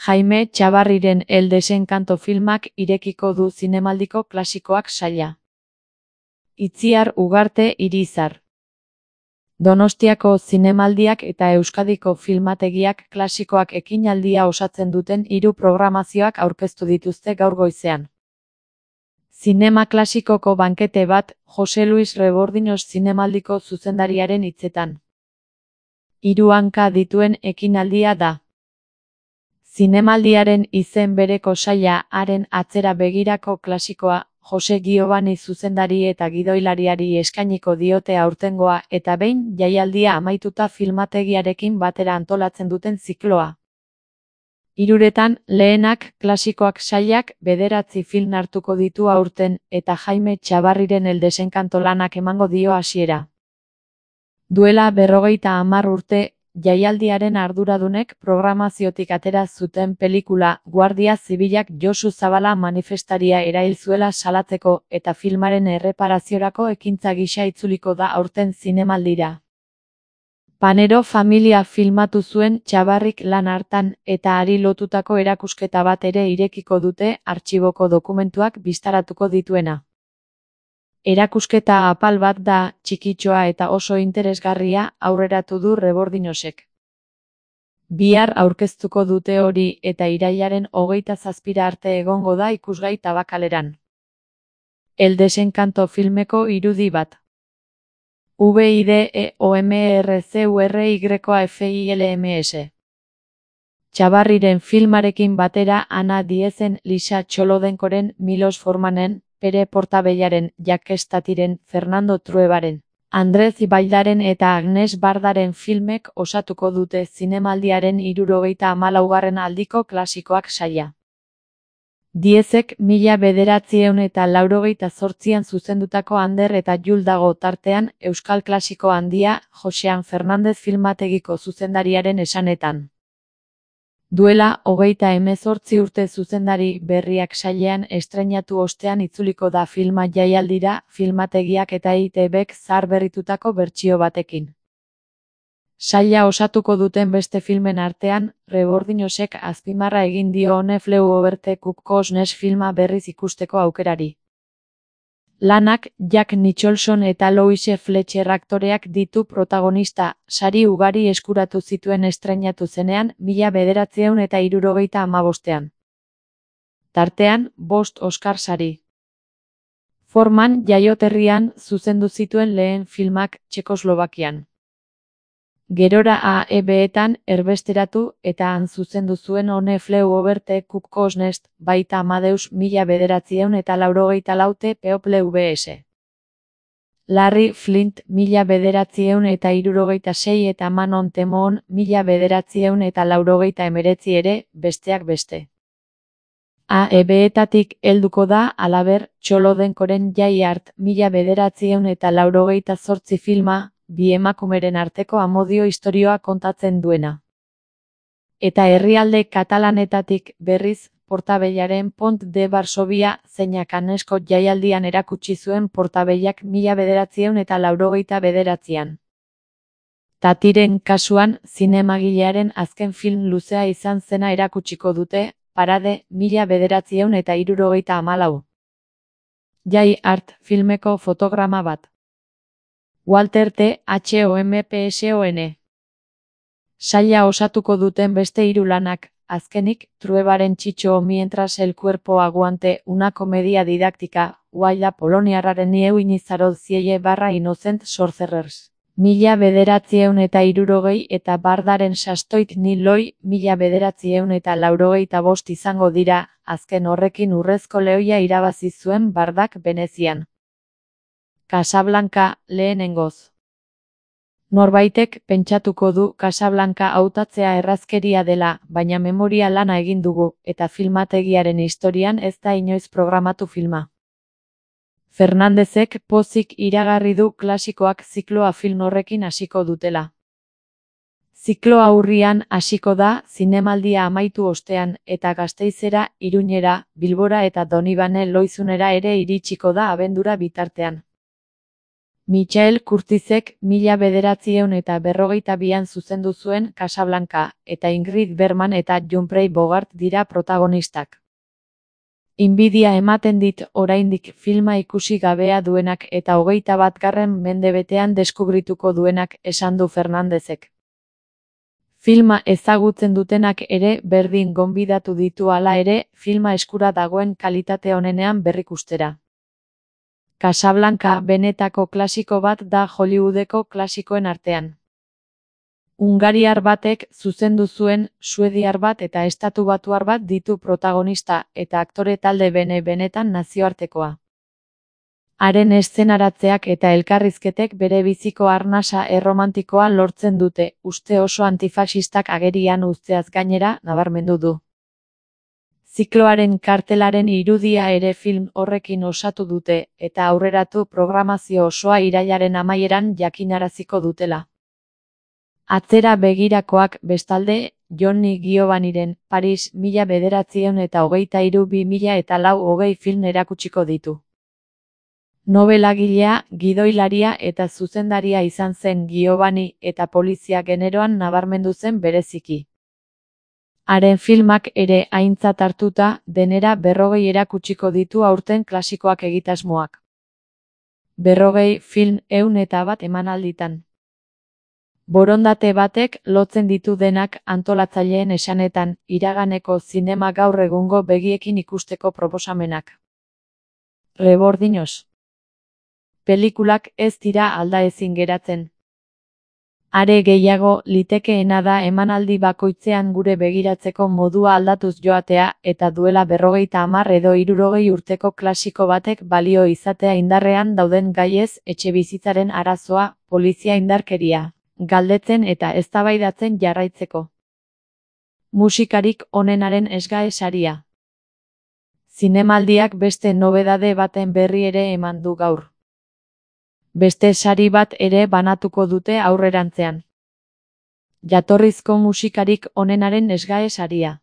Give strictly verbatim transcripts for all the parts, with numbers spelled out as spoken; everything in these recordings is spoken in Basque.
Jaime Txabarriren El desenkanto filmak irekiko du zinemaldiko klasikoak saila. Itziar Ugarte Irizar. Donostiako zinemaldiak eta Euskadiko filmategiak klasikoak ekinaldia osatzen duten hiru programazioak aurkeztu dituzte gaur goizean. Zinema klasikoko bankete bat, Jose Luis Rebordiños zinemaldiko zuzendariaren hitzetan. Hiru hanka dituen ekinaldia da. Zinemaldiaren izen bereko saila haren atzera begirako klasikoa, Jose Giovanni zuzendari eta gidoilariari eskainiko diote aurtengoa eta behin jaialdia amaituta filmategiarekin batera antolatzen duten zikloa. Hiruretan, lehenak klasikoak sailak bederatzi film hartuko ditu aurten eta Jaime Txabarriren El desenkanto lanak emango dio hasiera. Duela berrogeita hamar urte, jaialdiaren arduradunek programaziotik atera zuten pelikula Guardia Zibilak Josu Zabala manifestaria erail zuela salatzeko eta filmaren erreparaziorako ekintza gisa itzuliko da aurten zinemaldira. Panero familia filmatu zuen Txabarrik lan hartan eta hari lotutako erakusketa bat ere irekiko dute artxiboko dokumentuak bistaratuko dituena. Erakusketa apal bat da, txikitxoa eta oso interesgarria, aurreratu du Rebordiñosek. Bihar aurkeztuko dute hori eta irailaren hogeita zazpira arte egongo da ikusgai Tabakaleran. El desenkanto filmeko irudi bat. V I D E O M R C U R Y A F I L M S. Txabarriren filmarekin batera Ana Diezen, Lisa Txolodenkoren, Milos Formanen, Pere Portabellaren, Jakestatiren, Fernando Truebaren, Andrez Ibaldaren eta Agnes Bardaren filmek osatuko dute zinemaldiaren hirurogeita hamalaugarren aldiko klasikoak saila. Diezek mila bederatziehun eta laurogeita zortzian zuzendutako Ander eta Jul dago tartean euskal klasiko handia Josean Fernandez filmategiko zuzendariaren esanetan. Duela hogeita hemezortzi urte zuzendari berriak sailean estreinatu ostean itzuliko da filma jaialdira filmategiak eta E I T Bek zaharberritutako bertsio batekin. Saila osatuko duten beste filmen artean, Rebordiñosek azpimarra egin dio One Flew Over the Cuckoo's Nest filma berriz ikusteko aukerari. Lanak Jack Nicholson eta Louise Fletcher aktoreak ditu protagonista, sari ugari eskuratu zituen estreinatu zenean mila bederatziehun eta hirurogeita hamabostean. Tartean, bost Oscar sari. Forman jaioterrian zuzendu zituen lehen filmak Txekoslovakian. Gerora A E B-etan erbesteratu eta han zuzendu zuen One Flew Over the Cuckoo's Nest, baita Amadeus mila bederatziehun eta laurogeita laute People V S. Larry Flint mila bederatziehun eta hirurogeita sei eta Manon Temon mila bederatziehun eta laurogeita hemeretzi ere, besteak beste. A E B-etatik helduko da, halaber, Txolodenkoren Jai Art mila bederatziehun eta laurogeita zortzi filma, bi emakumeren arteko amodio istorioa kontatzen duena. Eta herrialde katalanetatik berriz, Portabellaren Pont de Varsovia zeinak Anesko jaialdian erakutsi zuen Portabellak mila bederatziehun eta laurogeita bederatzian. Tatiren kasuan, zinemagilearen azken film luzea izan zena erakutsiko dute, Parade, mila bederatziehun eta hirurogeita hamalau. Jai Art filmeko fotograma bat. Walter T. H O M P S O N. Saila osatuko duten beste hiru lanak, azkenik, Truebaren Txitxo mientras el cuerpo aguante, una comedia didáctica, Guaila poloniarraren nieu inizarod ziele barra Innocent Sorcerers. Mila bederatziehun eta hirurogei eta Bardaren sastoit niloi, mila bederatziehun eta laurogeita bost izango dira, azken horrekin urrezko lehoia irabazi zuen Bardak Venezian. Casablanca, lehenengoz. Norbaitek pentsatuko du Casablanca hautatzea errazkeria dela, baina memoria lana egin dugu, eta filmategiaren historian ez da inoiz programatu filma. Fernandezek pozik iragarri du klasikoak zikloa film horrekin hasiko dutela. Zikloa urrian hasiko da, zinemaldia amaitu ostean, eta Gasteizera, Iruñera, Bilbora eta Donibane Loizunera ere iritsiko da abendura bitartean. Michael Curtizek mila bederatziehun eta berrogeita bian zuzendu zuen Casablanca, eta Ingrid Bergman eta Humphrey Bogart dira protagonistak. Inbidia ematen dit oraindik filma ikusi gabea duenak eta hogeita batgarren mendebetean deskubrituko duenak, esan du Fernandezek. Filma ezagutzen dutenak ere berdin gonbidatu ditu hala ere, filma eskura dagoen kalitate onenean berrikustera. Casablanca benetako klasiko bat da Hollywoodeko klasikoen artean. Hungariar batek zuzendu zuen, suediar bat eta estatubatuar bat ditu protagonista, eta aktore talde bene benetan nazioartekoa. Haren eszenaratzeak eta elkarrizketek bere biziko arnasa erromantikoa lortzen dute, uste oso antifaxistak agerian uzteaz gainera, nabarmendu du. Zikloaren kartelaren irudia ere film horrekin osatu dute, eta aurreratu programazio osoa irailaren amaieran jakinaraziko dutela. Atzera begirakoak, bestalde, Johnny Giovaniren Paris mila bederatziehun eta hogeita hiru bi mila eta lau hogei film erakutsiko ditu. Nobelagilea, gidoilaria eta zuzendaria izan zen Giovanni eta polizia generoan nabarmendu zen bereziki. Haren filmak ere aintzat hartuta, denera berrogei erakutsiko ditu aurten klasikoak egitasmoak. Berrogei film ehun eta bat emanalditan. Borondate batek lotzen ditu denak antolatzaileen esanetan, iraganeko zinema gaur egungo begiekin ikusteko proposamenak. Rebordinoz. Pelikulak ez dira aldaezin geratzen. Are gehiago, litekeena da emanaldi bakoitzean gure begiratzeko modua aldatuz joatea, eta duela berrogeita hamar edo hirurogei urteko klasiko batek balio izatea indarrean dauden gaiez, etxebizitzaren arazoa, polizia indarkeria, galdetzen eta eztabaidatzen jarraitzeko. Musikarik onenaren Esgae saria. Zinemaldiak beste nobedade baten berri ere eman du gaur. Beste sari bat ere banatuko dute aurrerantzean. Jatorrizko musikarik onenaren Esgae saria.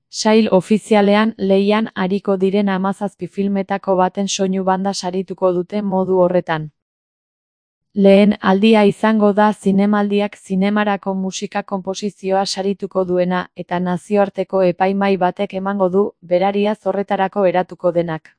Sail ofizialean lehian ariko diren hamazazpi filmetako baten soinu banda sarituko dute modu horretan. Lehen aldia izango da zinemaldiak zinemarako musika konposizioa sarituko duena, eta nazioarteko epaimahai batek emango du, berariaz horretarako eratuko denak.